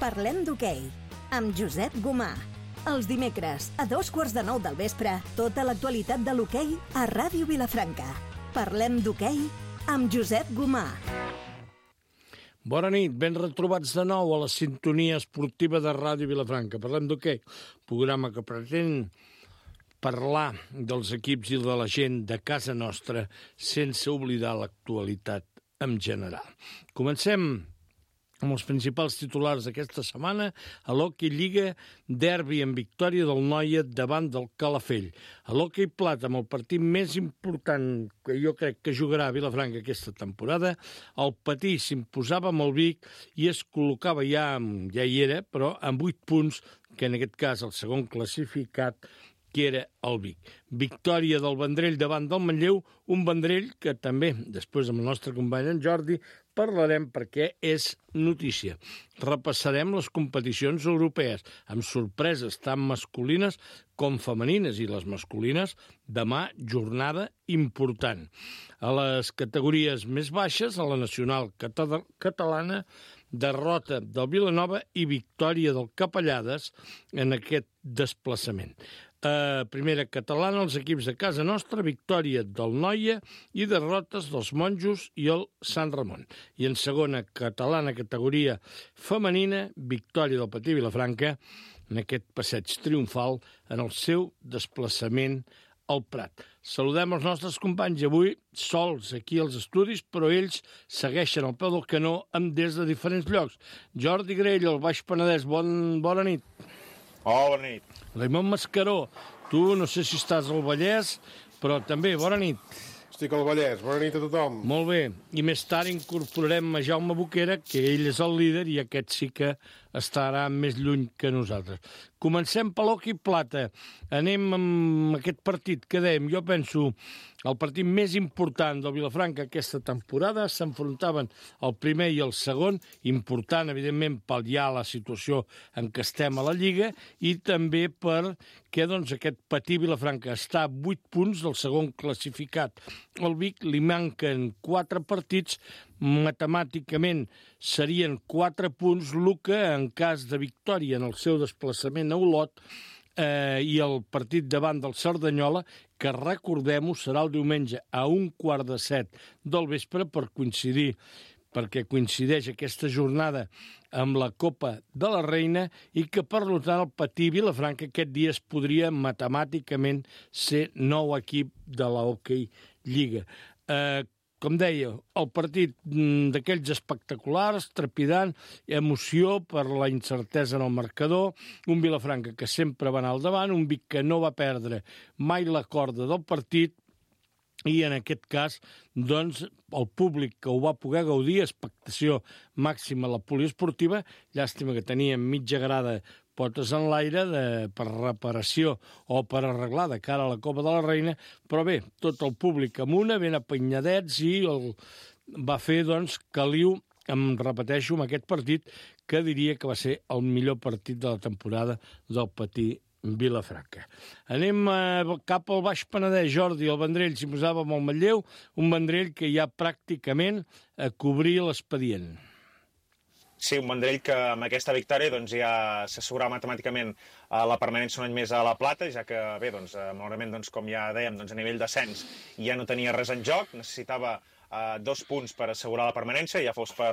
Parlem d'hoquei, amb Josep Gomà. Els dimecres, a 8:45 del vespre, tota l'actualitat de l'hoquei a Ràdio Vilafranca. Parlem d'hoquei amb Josep Gomà. Bona nit, ben retrobats de nou a la sintonia esportiva de Ràdio Vilafranca. Parlem d'hoquei, programa que pretén parlar dels equips i de la gent de casa nostra sense oblidar l'actualitat en general. Comencem amb els principals titulars d'aquesta setmana a l'Hockey Lliga, derbi en victòria del Noia davant del Calafell. A l'Hockey Plata, amb el partit més important que jo crec que jugarà a Vilafranca aquesta temporada, el Patí s'imposava amb el Vic i es col·locava ja hi era, però amb 8 punts, que en aquest cas el segon classificat, que era el Vic. Victòria del Vendrell davant del Manlleu, un Vendrell que també, després amb el nostre company en Jordi, parlarem perquè és notícia. Repassarem les competicions europees, amb sorpreses tant masculines com femenines, i les masculines, demà jornada important. A les categories més baixes, a la nacional catalana, derrota del Vilanova i victòria del Capellades en aquest desplaçament. A primera catalana, els equips de casa nostra, victòria del Noia i derrotes dels Monjos i el Sant Ramon. I en segona catalana, categoria femenina, victòria del Patí Vilafranca en aquest passeig triomfal en el seu desplaçament al Prat. Saludem els nostres companys avui sols aquí als estudis, però ells segueixen al peu del canó des de diferents llocs. Jordi Grell, al Baix Penedès, bona nit. Bona nit. Raimon Mascaró, tu no sé si estàs al Vallès, però també, bona nit. Estic al Vallès, bona nit a tothom. Molt bé, i més tard incorporarem a Jaume Boquera, que ell és el líder i aquest sí que estarà més lluny que nosaltres. Comencem per l'Hockey Plata. Anem amb aquest partit que dèiem. Jo penso el partit més important del Vilafranca aquesta temporada. S'enfrontaven el primer i el segon, important, evidentment, pal·liar la situació en què estem a la Lliga i també perquè aquest Patí Vilafranca està a 8 punts del segon classificat. Al Vic li manquen 4 partits, matemàticament serien 4 punts, el que en cas de victòria en el seu desplaçament a Olot i el partit davant del Cerdanyola, que recordem-ho serà el diumenge a 6:15 del vespre perquè coincideix aquesta jornada amb la Copa de la Reina i que, per tant, el Patí Vilafranca aquest dia es podria matemàticament ser nou equip de la Hockey Lliga. Com deia, el partit d'aquells espectaculars, trepidant, emoció per la incertesa en el marcador, un Vilafranca que sempre va anar al davant, un Vic que no va perdre mai la corda del partit, i en aquest cas, doncs, el públic que ho va poder gaudir, expectació màxima a la poliesportiva, llàstima que teníem mitja grada potes en l'aire per reparació o per arreglar de cara a la Copa de la Reina, però bé, tot el públic amb una, ben apenyadets, i va fer, doncs, caliu, repeteixo, amb aquest partit, que diria que va ser el millor partit de la temporada del Patí Vilafranca. Anem cap al Baix Penedès. Jordi, el Vendrell s'hi posava amb el Manlleu, un Vendrell que ja pràcticament cobria l'expedient. Sí, un Vendrell que amb aquesta victòria doncs, ja s'assegurava matemàticament la permanència un any més a la Plata, ja que, bé, doncs, malauradament, doncs, com ja dèiem, doncs, a nivell d'ascens ja no tenia res en joc, necessitava 2 punts per assegurar la permanència, ja fos per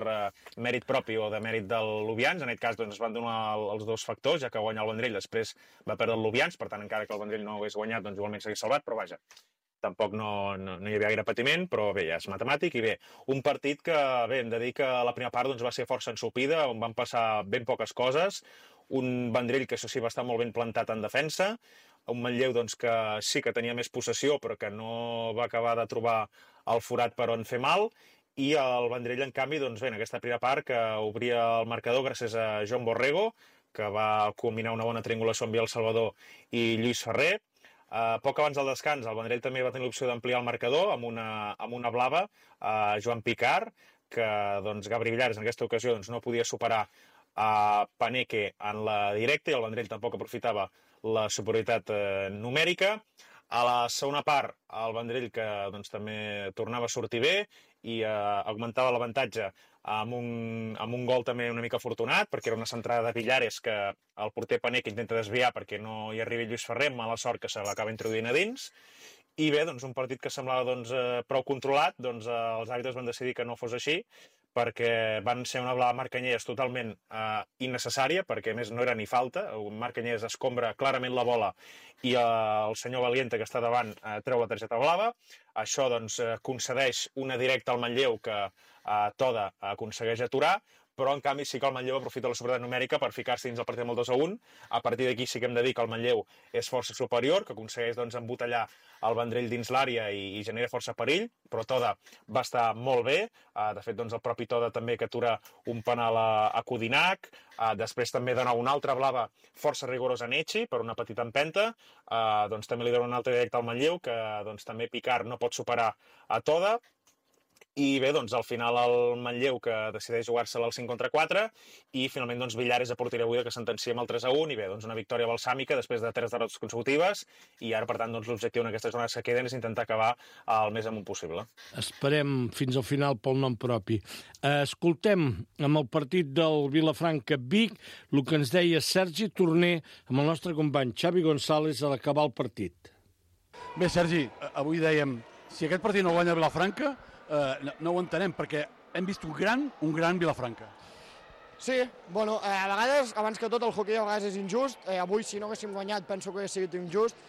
mèrit propi o de mèrit del Lubians. En aquest cas doncs, es van donar els dos factors, ja que guanyar el Vendrell després va perdre el Lubians, per tant, encara que el Vendrell no hagués guanyat, doncs igualment s'hagués salvat, però vaja, tampoc no hi havia gaire patiment, però bé, ja és matemàtic. I bé, un partit que, bé, hem de dir que la primera part doncs, va ser força ensopida, on van passar ben poques coses, un Vendrell que, això sí, va estar molt ben plantat en defensa, un Manlleu doncs, que sí que tenia més possessió, però que no va acabar de trobar el forat per on fer mal, i el Vendrell, en canvi, doncs, bé, en aquesta primera part, que obria el marcador gràcies a Joan Borrego, que va combinar una bona triangulació amb Biel Salvador i Lluís Ferrer. Poc abans del descans, el Vendrell també va tenir l'opció d'ampliar el marcador amb una blava a Joan Picard, que doncs, Gabri Villares en aquesta ocasió doncs, no podia superar a Paneque en la directa, i el Vendrell tampoc aprofitava la superioritat numèrica. A la segona part, el Vendrell que doncs, també tornava a sortir bé i augmentava l'avantatge amb un gol també una mica afortunat, perquè era una centrada de Villares que el porter Pané que intenta desviar perquè no hi arribi Lluís Ferrer, mala sort que se l'acaba introduint a dins. I bé, doncs, un partit que semblava prou controlat, els àrbitres van decidir que no fos així, perquè van ser una blava Marc Canyelles totalment innecessària, perquè a més no era ni falta. Marc Canyelles escombra clarament la bola i el senyor Valiente, que està davant, treu la targeta blava. Això concedeix una directa al Manlleu que Toda aconsegueix aturar, però en canvi sí que el Manlleu aprofita la superioritat numèrica per ficar-se dins el partit amb el 2-1. A partir d'aquí sí que hem de dir que el Manlleu és força superior, que aconsegueix embotellar el Vendrell dins l'àrea i genera força perill, però Toda va estar molt bé. De fet, el propi Toda també que atura un penal a Codinac. Després també dona una altra blava força rigorosa a Nechi per una petita empenta. També li dona una altra directa al Manlleu, que també Picard no pot superar a Toda. I bé, al final el Manlleu que decideix jugar-se-la al 5 contra 4 i finalment Villares a porteria buida que sentencia amb el 3-1 i bé, una victòria balsàmica després de 3 derrotes consecutives i ara, per tant, l'objectiu en aquestes jornades que queden és intentar acabar el més amunt possible. Esperem fins al final pel nom propi. Escoltem amb el partit del Vilafranca-Vic el que ens deia Sergi Torner amb el nostre company Xavi González a l'acabar el partit. Bé, Sergi, avui dèiem, si aquest partit no guanya Vilafranca, no ho entenem, perquè hem vist un gran Vilafranca. Sí, bueno, a vegades, abans que tot, el hoquei a vegades és injust. Avui, si no haguéssim guanyat, penso que hauria sigut injust.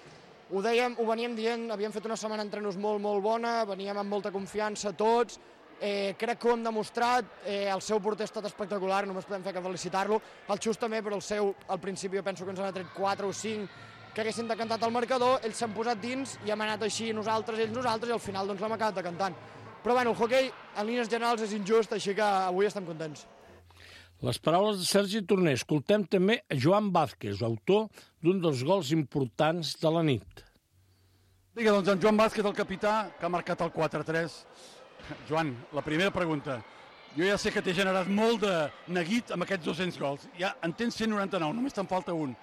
Ho veníem dient, havíem fet una setmana d'entrenos molt bona, veníem amb molta confiança tots, crec que ho hem demostrat, el seu porter ha estat espectacular, només podem fer que felicitar-lo, el Xus també, però al principi jo penso que ens han tret 4 o 5 que haguessin decantat el marcador, ells s'han posat dins i hem anat així nosaltres, i al final l'hem acabat decantant. Però bueno, el hoquei en línies generals és injust, així que avui estem contents. Les paraules de Sergi Torner. Escoltem també Joan Vázquez, autor d'un dels gols importants de la nit. Vinga, doncs en Joan Vázquez, el capità, que ha marcat el 4-3. Joan, la primera pregunta. Jo ja sé que t'he generat molt de neguit amb aquests 200 gols. Ja en tens 199, només te'n falta un.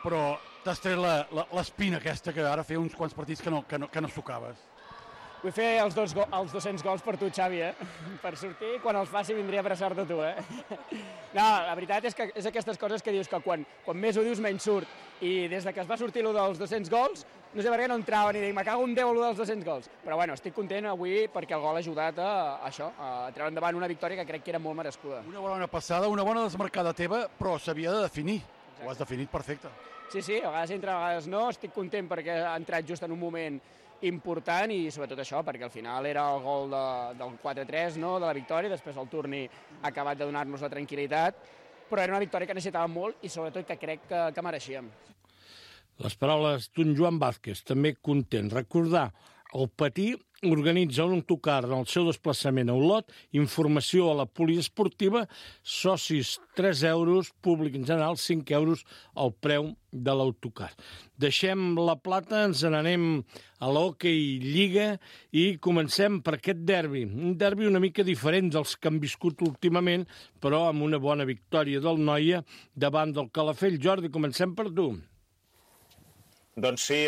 Però t'has tret l'espina aquesta que ara feia uns quants partits que no sucaves. Vull fer els 200 gols per tu, Xavi, per sortir. Quan els faci vindria a abraçar-te tu, No, la veritat és que és aquestes coses que dius que quan més ho dius menys surt. I des que es va sortir allò dels 200 gols, no sé per què no entrava ni dic, me cago en Déu allò dels 200 gols. Però bueno, estic content avui perquè el gol ha ajudat a treure endavant una victòria que crec que era molt merescuda. Una bona passada, una bona desmarcada teva, però s'havia de definir. Exacte. Ho has definit perfecte. Sí, a vegades entra, a vegades no. Estic content perquè ha entrat just en un moment important i sobretot això, perquè al final era el gol del 4-3, no?, de la victòria, després el Turni ha acabat de donar-nos la tranquil·litat, però era una victòria que necessitàvem molt i sobretot que crec que mereixíem. Les paraules d'un Joan Vázquez, també content. Recordar, el Patí organitza un autocar en el seu desplaçament a Olot, informació a la poliesportiva, socis 3 euros, públic en general 5 euros el preu de l'autocar. Deixem la plata, ens n'anem a l'hoquei Lliga i comencem per aquest derbi. Un derbi una mica diferent dels que han viscut últimament, però amb una bona victòria del Noia davant del Calafell. Jordi, comencem per tu. Doncs sí,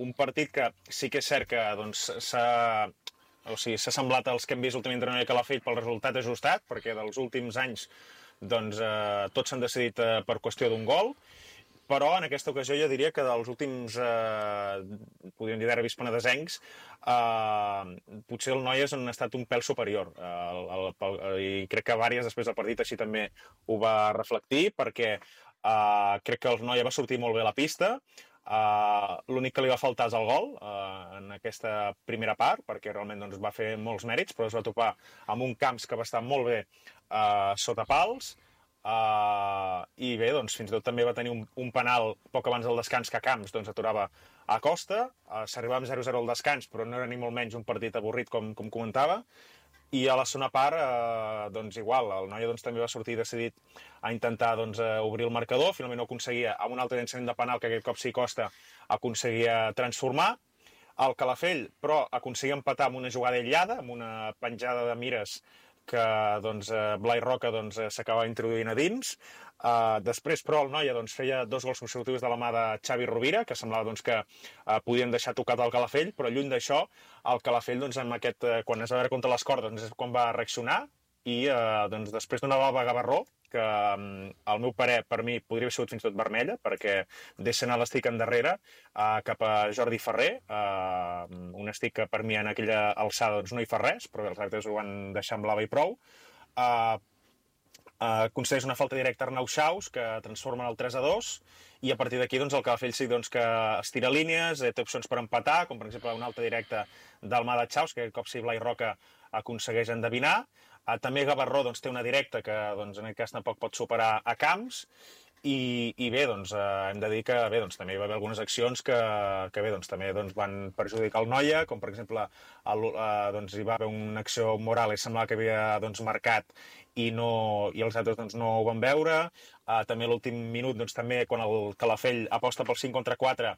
un partit que sí que és cert que s'ha semblat als que hem vist últimament entre Noia i Calafell pel resultat ajustat, perquè dels últims anys tots s'han decidit per qüestió d'un gol, però en aquesta ocasió jo diria que dels últims, podríem dir, derbis penedesencs, potser el Noia han estat un pèl superior. I crec que diverses després del partit així també ho va reflectir, perquè crec que el Noia va sortir molt bé a la pista. L'únic que li va faltar és el gol en aquesta primera part, perquè realment va fer molts mèrits, però es va topar amb un Camps que va estar molt bé sota pals. I bé, fins i tot també va tenir un penal poc abans del descans que Camps aturava a Costa. S'arribava amb 0-0 al descans, però no era ni molt menys un partit avorrit, com comentava. I a la segona part, igual, el Noia també va sortir decidit a intentar obrir el marcador, finalment no aconseguia, amb un altre llançament de penal que aquest cop sí Costa aconseguia transformar. El Calafell, però, aconseguia empatar amb una jugada aïllada, amb una penjada de mires que Blai Roca s'acaba introduint a dins. Després, però, el Noia feia 2 gols consecutius de la mà de Xavi Rovira, que semblava que podien deixar tocat el Calafell, però lluny d'això, el Calafell, quan es va veure contra les cordes, és quan va reaccionar i doncs, després d'una blava Gavarró, que al meu parer, per mi, podria haver sigut fins i tot vermella, perquè deixa anar l'estic endarrere cap a Jordi Ferrer, un estic que per mi en aquella alçada doncs, no hi fa res, però bé, els àrbitres ho van deixar en blava i prou. Concedeix una falta directa a Arnau Xaus, que transforma el 3-2, i a partir d'aquí doncs, el Calafell sí doncs, que estira línies, té opcions per empatar, com per exemple una alta directa d'Almada Xaus, que aquest cop sí Blai Roca aconsegueix endevinar. També Gavarró doncs, té una directa que doncs, en aquest cas tampoc pot superar a Camps, i bé, doncs, hem de dir que bé, doncs, també hi va haver algunes accions que bé, doncs, també doncs, van perjudicar el Noia, com per exemple doncs, hi va haver una acció moral i semblava que havia doncs, marcat i els altres doncs, no ho van veure. També a l'últim minut, doncs, també quan el Calafell aposta pel 5 contra 4,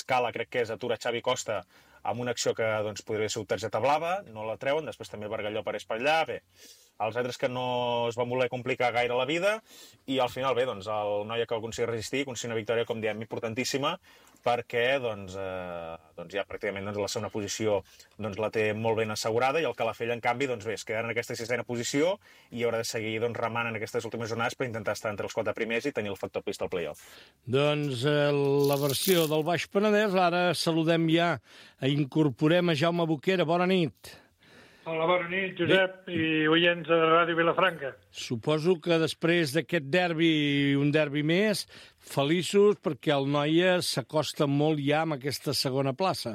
Scala, crec que és, atura Xavi Costa amb una acció que doncs, podria ser targeta blava, no la treuen, després també Bargalló apareix per allà, bé, els altres que no es van voler complicar gaire la vida, i al final, bé, doncs, el Noia que va aconseguir resistir, aconseguir una victòria, com diem, importantíssima, perquè doncs, ja pràcticament doncs, la segona posició doncs, la té molt ben assegurada, i el Calafell, en canvi, doncs, bé, es quedarà en aquesta sisena posició i haurà de seguir doncs, remant en aquestes últimes jornades per intentar estar entre els 4 primers i tenir el factor pista al play-off. Doncs la versió del Baix Penedès, ara saludem ja, incorporem a Jaume Boquera. Bona nit. Hola, bona nit, Josep, i oients de Ràdio Vilafranca. Suposo que després d'aquest derbi, un derbi més, feliços perquè el Noia s'acosta molt ja amb aquesta segona plaça.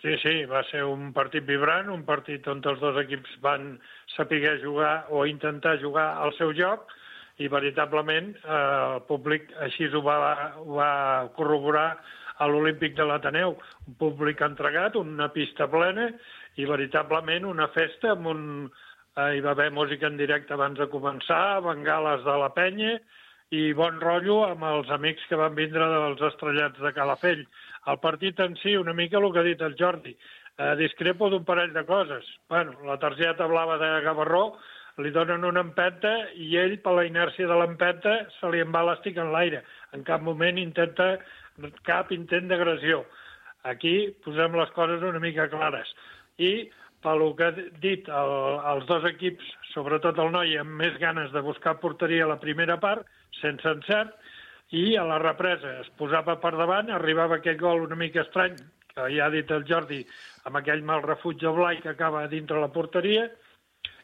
Sí, va ser un partit vibrant, un partit on els dos equips van saber jugar o intentar jugar al seu joc, i veritablement el públic així ho va corroborar a l'Olímpic de l'Ateneu. Un públic entregat, una pista plena, i veritablement una festa amb hi va haver música en directe abans de començar, bengales de la penya i bon rotllo amb els amics que van vindre dels estrellats de Calafell. El partit en si, una mica el que ha dit el Jordi, discrepo d'un parell de coses. Bueno, la targeta blava de Gavarró li donen una empenta i ell, per la inèrcia de l'empenta, se li en va l'estic en l'aire. En cap moment cap intent d'agressió. Aquí posem les coses una mica clares. I, pel que ha dit els dos equips, sobretot el Noia, amb més ganes de buscar porteria a la primera part, sense encert, i a la represa es posava per davant, arribava aquell gol una mica estrany, que ja ha dit el Jordi, amb aquell mal refuig de Blai que acaba dintre la porteria,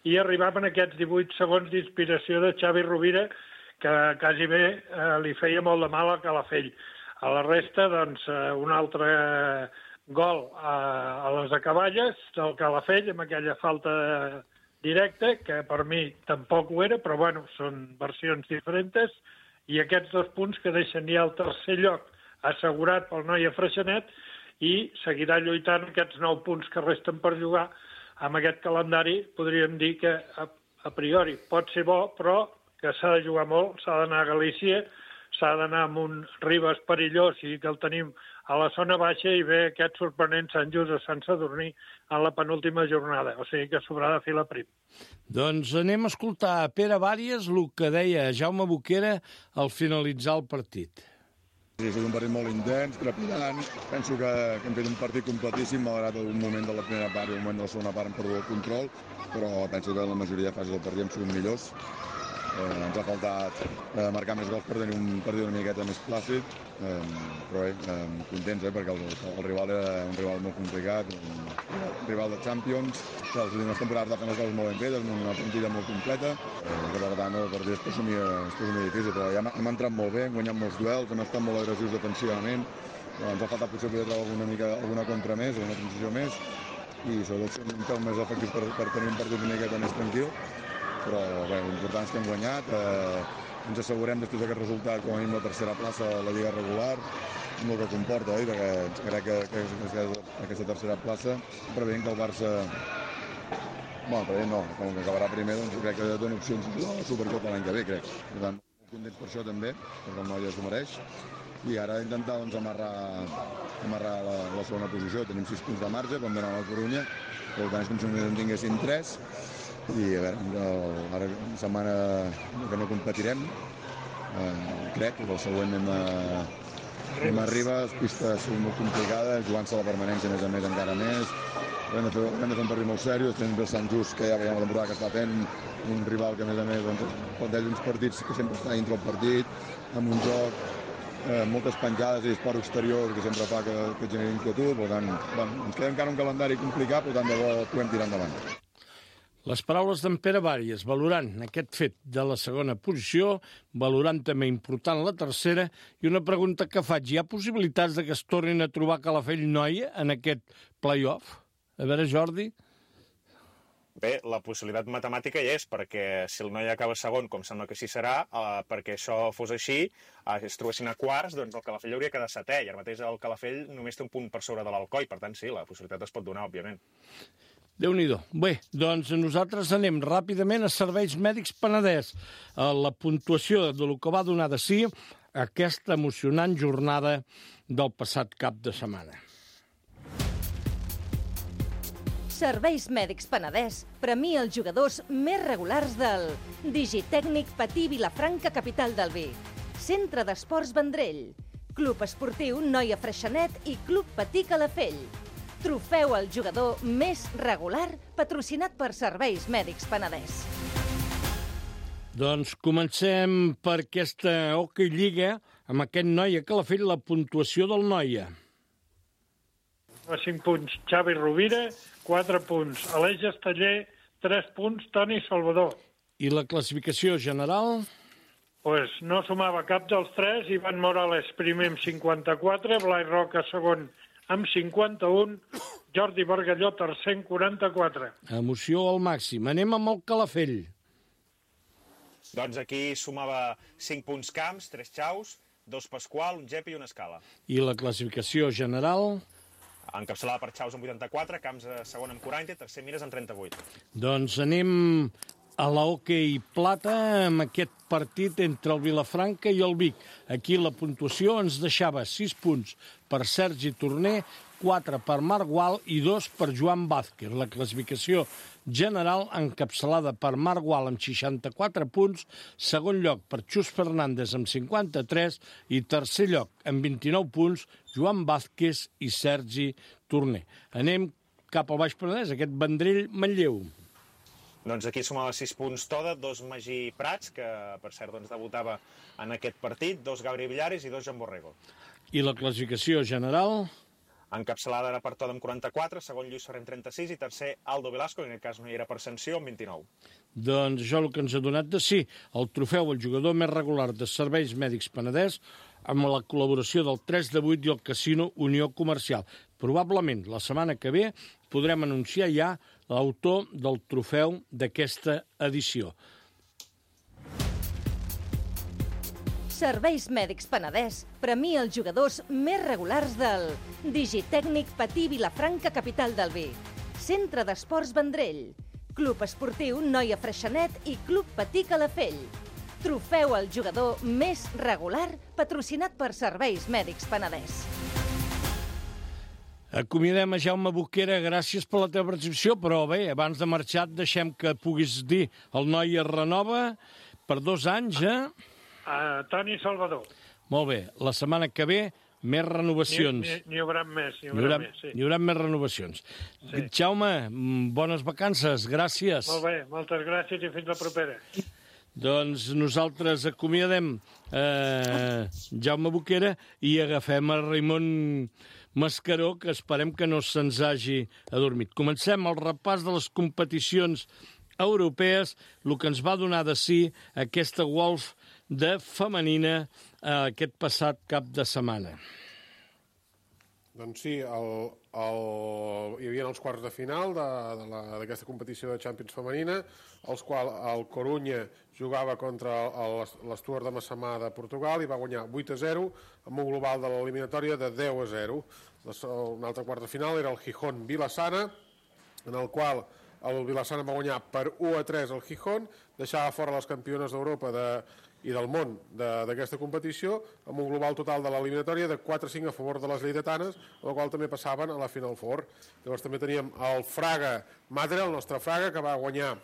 i arribaven aquests 18 segons d'inspiració de Xavi Rovira, que quasi bé li feia molt de mal a Calafell. A la resta, doncs, un altre gol a les acaballes del Calafell, amb aquella falta directa, que per mi tampoc ho era, però bueno, són versions diferents, i aquests 2 punts que deixen ja el tercer lloc assegurat pel Noia Freixenet, i seguirà lluitant aquests 9 punts que resten per jugar. Amb aquest calendari podríem dir que a priori pot ser bo, però que s'ha de jugar molt, s'ha d'anar a Galícia, s'ha d'anar amb un Ribes perillós i que el tenim a la zona baixa, i ve aquest sorprenent Sant Just a Sant Sadurní en la penúltima jornada, o sigui que s'haurà de fer la prim. Doncs anem a escoltar a Pere Bàries el que deia Jaume Boquera al finalitzar el partit. Sí, ha estat un partit molt intens, trepidant. Penso que hem fet un partit completíssim, malgrat un moment de la primera part i un moment de la segona part hem perdut el control, però penso que en la majoria de fases del partit hem sigut millors. Ens ha faltat marcar més gols per tenir un partit una miqueta més plàcid, però bé, contents, perquè el rival era un rival molt complicat, un rival de Champions, que les últimes temporades va fer les coses molt ben fetes, amb una plantilla molt completa, que per tant el partit es posa molt difícil, però ja hem entrat molt bé, hem guanyat molts duels, hem estat molt agressius defensivament, ens ha faltat potser poder treure alguna contra més, alguna transició més, i sobretot ser un pèl més efectius per tenir un partit una miqueta més tranquil. Però bé, l'important és que hem guanyat, ens assegurem després d'aquest resultat com a mínim la tercera plaça a la Lliga regular, amb el que comporta, perquè crec que aquesta tercera plaça, preveient que el Barça, preveient no, com que acabarà primer, doncs crec que dona opcions a la Supercopa l'any que ve, crec. Per tant, molt contents per això també, perquè el Noia s'ho mereix, i ara intentar doncs, amarrar la segona posició. Tenim 6 punts de marge, com donar la Corunya, per tant és com si només en tinguéssim 3, i a veure, ara una setmana que no competirem, crec que el següent anem Ribes. Ribes, pistes molt complicades, jugant-se la permanència a més encara més. Hem de fer un partit molt seriós, tenim el Sant Just, que ja veiem la temporada que està fent, un rival que a més doncs, planteja uns partits que sempre està dintre el partit, amb un joc, moltes penjades i disparo exterior que sempre fa que generi inquietud, per tant, ens queda encara un calendari complicat, per tant, de bo podem tirar endavant. Les paraules d'en Pere Bàries, valorant aquest fet de la segona posició, valorant també important la tercera, i una pregunta que faig, hi ha possibilitats de que es tornin a trobar Calafell-Noia en aquest play-off? A veure, Jordi. Bé, la possibilitat matemàtica hi és, perquè si el Noia acaba segon, com sembla que així serà, perquè això fos així, es trobessin a quarts, doncs el Calafell hauria quedat setè, i ara mateix el Calafell només té un punt per sobre de l'Alcoi, per tant sí, la possibilitat es pot donar, òbviament. Déu-n'hi-do. Bé, doncs nosaltres anem ràpidament a Serveis Mèdics Penedès. La puntuació del que va donar de si aquesta emocionant jornada del passat cap de setmana. Serveis Mèdics Penedès premia els jugadors més regulars del Digitècnic Patí Vilafranca, capital del Vi, Centre d'Esports Vendrell, Club Esportiu Noia Freixenet i Club Patí Calafell. Trofeu al jugador més regular, patrocinat per Serveis Mèdics Penedès. Doncs comencem per aquesta Hockey Lliga amb aquest Noia Calafell, la puntuació del Noia. A 5 punts, Xavi Rovira, 4 punts. Aleix Esteller, 3 punts. Toni Salvador. I la classificació general? Pues no sumava cap dels 3. Ivan Morales, primer amb 54. Blai Roca, segon, amb 51. Jordi Bargalló, tercer, amb 44. Emoció al màxim. Anem amb el Calafell. Doncs aquí sumava 5 punts Camps, 3 Xaus, 2 Pasqual, un Gepi i una Escala. I la classificació general? Encapçalada per Xaus amb 84, Camps segon amb 40, tercer Mires amb 38. Doncs anem a la Hockey Plata amb aquest partit entre el Vilafranca i el Vic. Aquí la puntuació ens deixava 6 punts per Sergi Torner, 4 per Marc Gual i 2 per Joan Vázquez. La classificació general encapçalada per Marc Gual amb 64 punts, segon lloc per Xus Fernández amb 53 i tercer lloc amb 29 punts Joan Vázquez i Sergi Torner. Anem cap al Baix Penedès, aquest Vendrell-Manlleu. Doncs aquí sumava 6 punts Toda, 2 Magí Prats, que per cert doncs, debutava en aquest partit, 2 Gabri Villares i 2 Joan Borrego. I la classificació general? Encapçalada era per Toda amb 44, segon Lluís Ferrer amb 36 i tercer Aldo Velasco, que en aquest cas no hi era per sanció, amb 29. Doncs això el que ens ha donat de si el trofeu al jugador més regular de Serveis Mèdics Penedès amb la col·laboració del 3 de 8 i el Casino Unió Comercial. Probablement la setmana que ve podrem anunciar ja l'autor del trofeu d'aquesta edició. Serveis Mèdics Penedès premia els jugadors més regulars del Digitècnic Patí Vilafranca, capital del Vi, Centre d'Esports Vendrell, Club Esportiu Noia Freixenet i Club Patí Calafell. Trofeu al jugador més regular, patrocinat per Serveis Mèdics Penedès. Acomiadem a Jaume Boquera, gràcies per la teva participació, però bé, abans de marxar deixem que puguis dir el Noia renova per 2 anys, Toni Salvador. Molt bé, la setmana que ve més renovacions. N'hi haurà més, sí. Hi haurà més renovacions. Sí. Jaume, bones vacances, gràcies. Molt bé, moltes gràcies i fins la propera. Doncs nosaltres acomiadem Jaume Boquera i agafem a Raimon Mascaró, que esperem que no se'ns hagi adormit. Comencem el repàs de les competicions europees, el que ens va donar de si aquesta Wolf de femenina aquest passat cap de setmana. Doncs sí, hi havia els quarts de final d'aquesta competició de Champions femenina, els quals el Corunya jugava contra l'Stuart de Massamà de Portugal i va guanyar 8-0 amb un global de l'eliminatòria de 10-0. Un altre quart de final era el Gijón Vilassana, en el qual el Vilassana va guanyar per 1-3 el Gijón, deixava fora les campiones d'Europa i del món d'aquesta competició, amb un global total de l'eliminatòria de 4-5 a favor de les lleidatanes, amb el qual també passaven a la Final Four. Llavors també teníem el Fraga Madre, el nostre Fraga, que va guanyar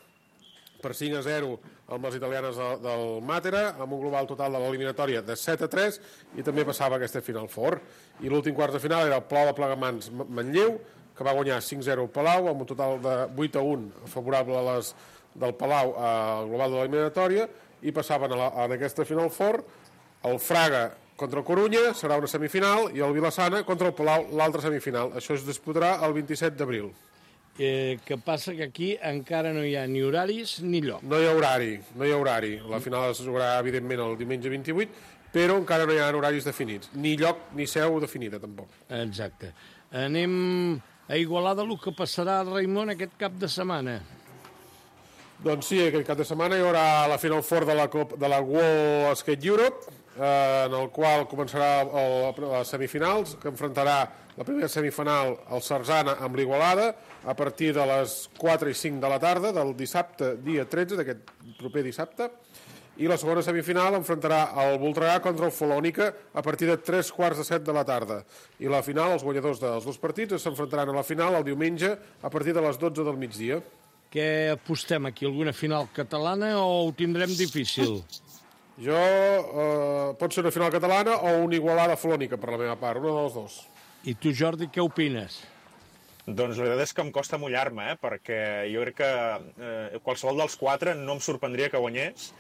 per 5-0 amb les italianes del Matera, amb un global total de l'eliminatòria de 7-3, i també passava aquesta Final Four. I l'últim quart de final era el Palau de Plegamans Manlleu, que va guanyar 5-0 al Palau, amb un total de 8-1 favorable a les del Palau al global de l'eliminatòria, i passaven en aquesta Final Four el Fraga contra el Corunya, serà una semifinal, i el Vilassana contra el Palau, l'altra semifinal. Això es disputarà el 27 d'abril. Que passa que aquí encara no hi ha ni horaris ni lloc. No hi ha horari. La final es jugarà, evidentment, el diumenge 28, però encara no hi ha horaris definits. Ni lloc ni seu definida, tampoc. Exacte. Anem a Igualada, el que passarà a Raimon aquest cap de setmana. Doncs sí, aquest cap de setmana hi haurà la Final Four de la World Skate Europe, en el qual començarà les semifinals, que enfrontarà la primera semifinal el Sarzana amb l'Igualada a partir de les 4 i 5 de la tarda del dissabte, dia 13, d'aquest proper dissabte, i la segona semifinal enfrontarà el Voltregà contra el Folònica a partir de 3:45 de la tarda. I la final, els guanyadors dels dos partits s'enfrontaran a la final el diumenge a partir de les 12 del migdia. Què apostem aquí? Alguna final catalana o ho tindrem difícil? Pot ser una final catalana o una Igualada Folònica, per la meva part, una dels dos. I tu, Jordi, què opines? Doncs la veritat és que em costa mullar-me, perquè jo crec que qualsevol dels quatre no em sorprendria que guanyés.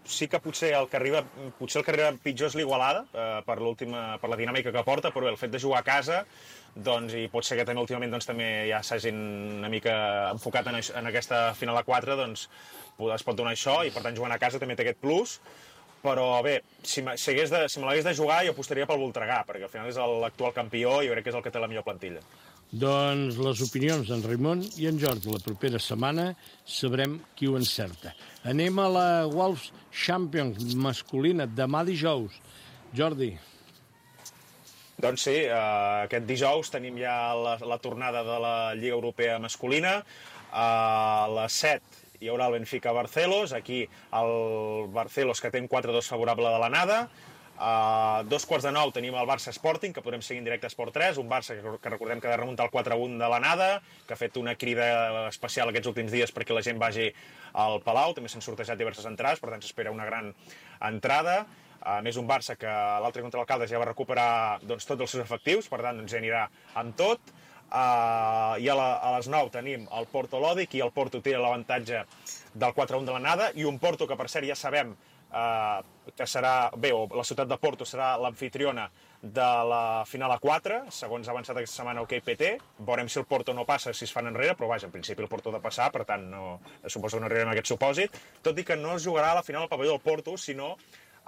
Sí que potser el que arriba pitjor és l'Igualada, per la dinàmica que porta, però bé, el fet de jugar a casa, doncs, i pot ser que també últimament també ja s'hagin una mica enfocat en aquesta final a 4, doncs es pot donar això, i per tant jugant a casa també té aquest plus. Però bé, si me l'hagués de jugar jo apostaria pel Voltregà, perquè al final és l'actual campió i jo crec que és el que té la millor plantilla. Doncs les opinions d'en Raimon i en Jordi. La propera setmana sabrem qui ho encerta. Anem a la Wolves Champions masculina, demà dijous. Jordi. Doncs sí, aquest dijous tenim ja la tornada de la Lliga Europea masculina. A les 7 hi haurà el Benfica-Barcelos. Aquí el Barcelos, que té un 4-2 favorable de l'anada. A 8:45 tenim el Barça Sporting, que podrem seguir en directe a Esport 3, un Barça que recordem que ha de remuntar el 4-1 de l'anada, que ha fet una crida especial aquests últims dies perquè la gent vagi al Palau. També s'han sortejat diverses entrades, per tant s'espera una gran entrada. A més, un Barça que l'altre contra l'Alcaldes ja va recuperar tots els seus efectius, per tant ja anirà amb tot. I a les 9 tenim el Porto Lòdic, i el Porto té l'avantatge del 4-1 de l'anada, i un Porto que per cert ja sabem que serà, la ciutat de Porto serà l'amfitriona de la final a 4, segons ha avançat aquesta setmana el KPT. Veurem si el Porto no passa, si es fan enrere, però vaja, en principi el Porto ha de passar, per tant suposo que no arribarem a aquest supòsit, tot i que no es jugarà a la final al pavelló del Porto, sinó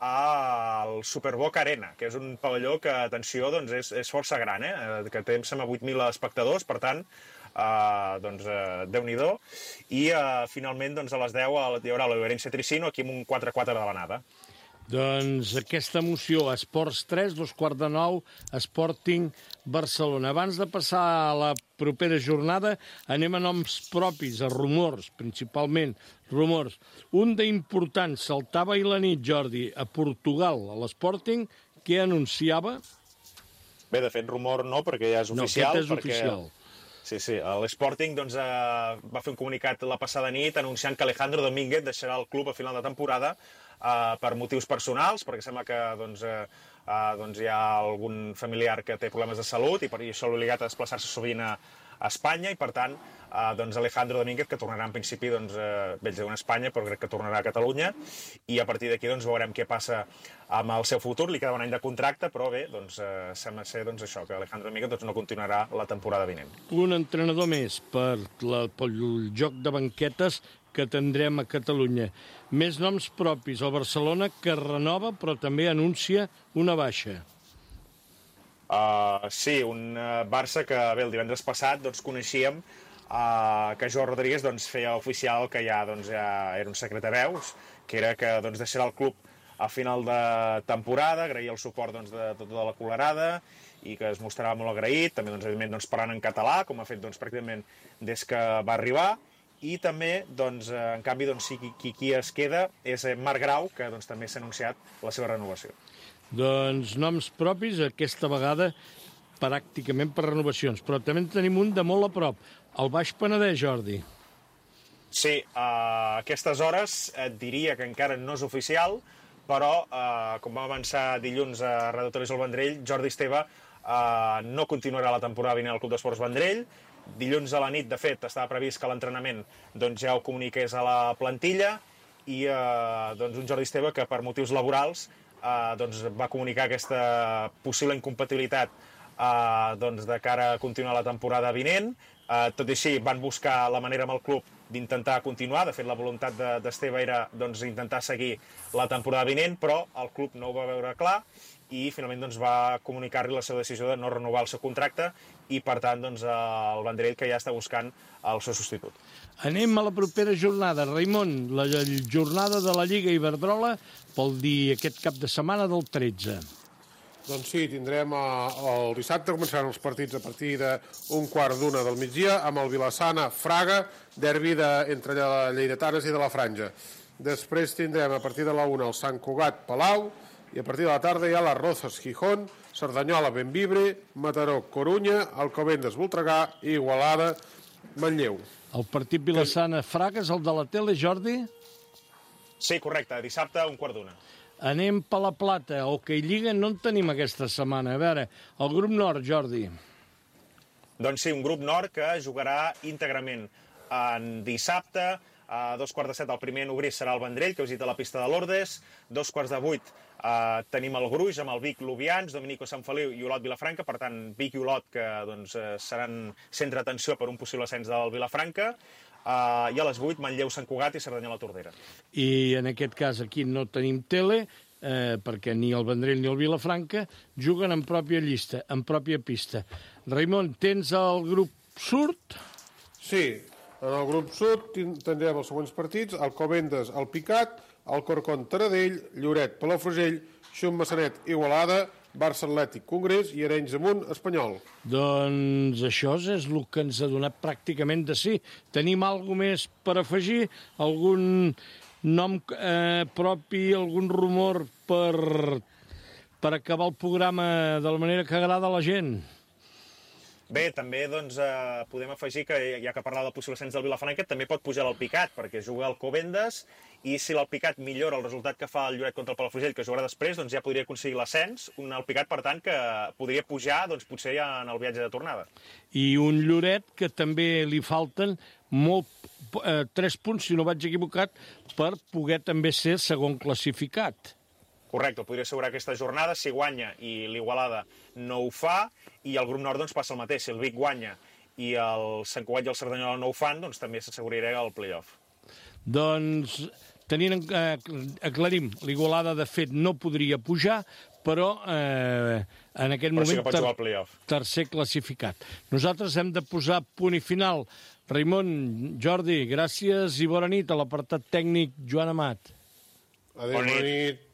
al Superboc Arena, que és un pavelló que, atenció, és força gran, que té 8.000 espectadors, per tant, Déu-n'hi-do. I finalment a les 10 hi haurà l'Oberense Tricino, aquí amb un 4-4 de l'anada. Doncs aquesta emoció, Esports 3, 8:45, Sporting Barcelona. Abans de passar a la propera jornada, anem a noms propis, a rumors, principalment rumors. Un d'important saltava ahir la nit, Jordi, a Portugal, a l'Sporting, que anunciava... Bé, de fet, rumor no, perquè ja és oficial. No, aquest és oficial. Sí, l'Sporting va fer un comunicat la passada nit anunciant que Alejandro Domínguez deixarà el club a final de temporada per motius personals, perquè sembla que hi ha algun familiar que té problemes de salut i per això l'ha obligat a desplaçar-se sovint a Espanya, i per tant Alejandro Domínguez, que tornarà en principi ells diuen a Espanya, però crec que tornarà a Catalunya, i a partir d'aquí veurem què passa amb el seu futur. Li queda un any de contracte, però bé, sembla ser això, que Alejandro Domínguez no continuarà la temporada vinent. Un entrenador més pel joc de banquetes que tindrem a Catalunya. Més noms propis. El Barcelona, que renova, però també anuncia una baixa. Sí, un Barça que el divendres passat coneixíem que Joao Rodríguez feia oficial que ja era un secret a veus, que era que deixarà el club a final de temporada, agrair el suport de tota la colerada i que es mostrava molt agraït, també evidentment parlant en català, com ha fet pràcticament des que va arribar. I també, en canvi, qui es queda és Marc Grau, que també s'ha anunciat la seva renovació. Doncs noms propis, aquesta vegada pràcticament per renovacions, però també en tenim un de molt a prop, el Baix Penedès, Jordi. Sí, a aquestes hores et diria que encara no és oficial, però, com vam avançar dilluns a Radio Televisió El Vendrell, Jordi Esteve no continuarà la temporada vinent al Club d'Esports Vendrell. Dilluns a la nit, de fet, estava previst que l'entrenament ja ho comuniqués a la plantilla i un Jordi Esteve que per motius laborals va comunicar aquesta possible incompatibilitat de cara a continuar la temporada vinent. Tot i així, van buscar la manera amb el club d'intentar continuar. De fet, la voluntat d'Esteve era intentar seguir la temporada vinent, però el club no ho va veure clar i finalment va comunicar-li la seva decisió de no renovar el seu contracte i, per tant, el Vendrell que ja està buscant el seu substitut. Anem a la propera jornada. Raimon, la jornada de la Lliga Iberdrola vol dir aquest cap de setmana del 13. Doncs sí, tindrem el dissabte, començaran els partits a partir d'un quart d'una del migdia, amb el Vilassana-Fraga, derbi entre Lleidatanes i de la Franja. Després tindrem a partir de la 1 el Sant Cugat-Palau, i a partir de la tarda hi ha les Rozas-Gijón, Cerdanyola-Benvibre, Mataró-Corunya, Alcobendas-Voltregà i Igualada-Manlleu. El partit Vilassana-Fraga és el de la tele, Jordi? Sí, correcte, dissabte, un quart d'una. Anem per la Plata. Hoquei Lliga no en tenim aquesta setmana. A veure, el grup nord, Jordi. Doncs sí, un grup nord que jugarà íntegrament en dissabte. A 2:15 el primer en obrir serà el Vendrell, que visita la pista de Lourdes. 2:45 tenim el Gruix amb el Vic Lubians, Dominico Sant Feliu i Olot Vilafranca. Per tant, Vic i Olot que seran centre d'atenció per un possible ascens del Vilafranca. I a les 8, Manlleu, Sant Cugat i Cerdanyola Tordera. I en aquest cas aquí no tenim tele, perquè ni el Vendrell ni el Vilafranca juguen en pròpia llista, en pròpia pista. Raimon, tens el grup sud? Sí, en el grup sud tindrem els següents partits: Alcobendas, el Picat, Alcorcón, Taradell, Lloret, Palafrugell, Xum, Massanet, Igualada, Barça Atlètic, Congrés i Arenys de Munt, Espanyol. Doncs això és el que ens ha donat pràcticament de sí. Tenim alguna més per afegir? Algun nom propi, algun rumor per acabar el programa de la manera que agrada a la gent? Bé, també podem afegir que, ja que parlava del possible ascens del Vilafranca, també pot pujar l'Alpicat, perquè juga al Alcobendas, i si l'Alpicat millora el resultat que fa el Lloret contra el Palafrugell, que jugarà després, ja podria aconseguir l'ascens. Un Alpicat, per tant, que podria pujar, potser ja en el viatge de tornada. I un Lloret que també li falten 3 punts, si no vaig equivocat, per poder també ser segon classificat. Correcte, podria assegurar aquesta jornada si guanya i l'Igualada no ho fa, i el grup nord passa el mateix. Si el Vic guanya i el Sant Cugat i el Cerdanyola no ho fan, també s'asseguraria el play-off. Doncs aclarim, l'Igualada de fet no podria pujar, però en aquest moment sí que pot jugar al play-off. Tercer classificat. Nosaltres hem de posar punt i final. Raimon, Jordi, gràcies i bona nit a l'apartat tècnic Joan Amat. Adéu, bona nit.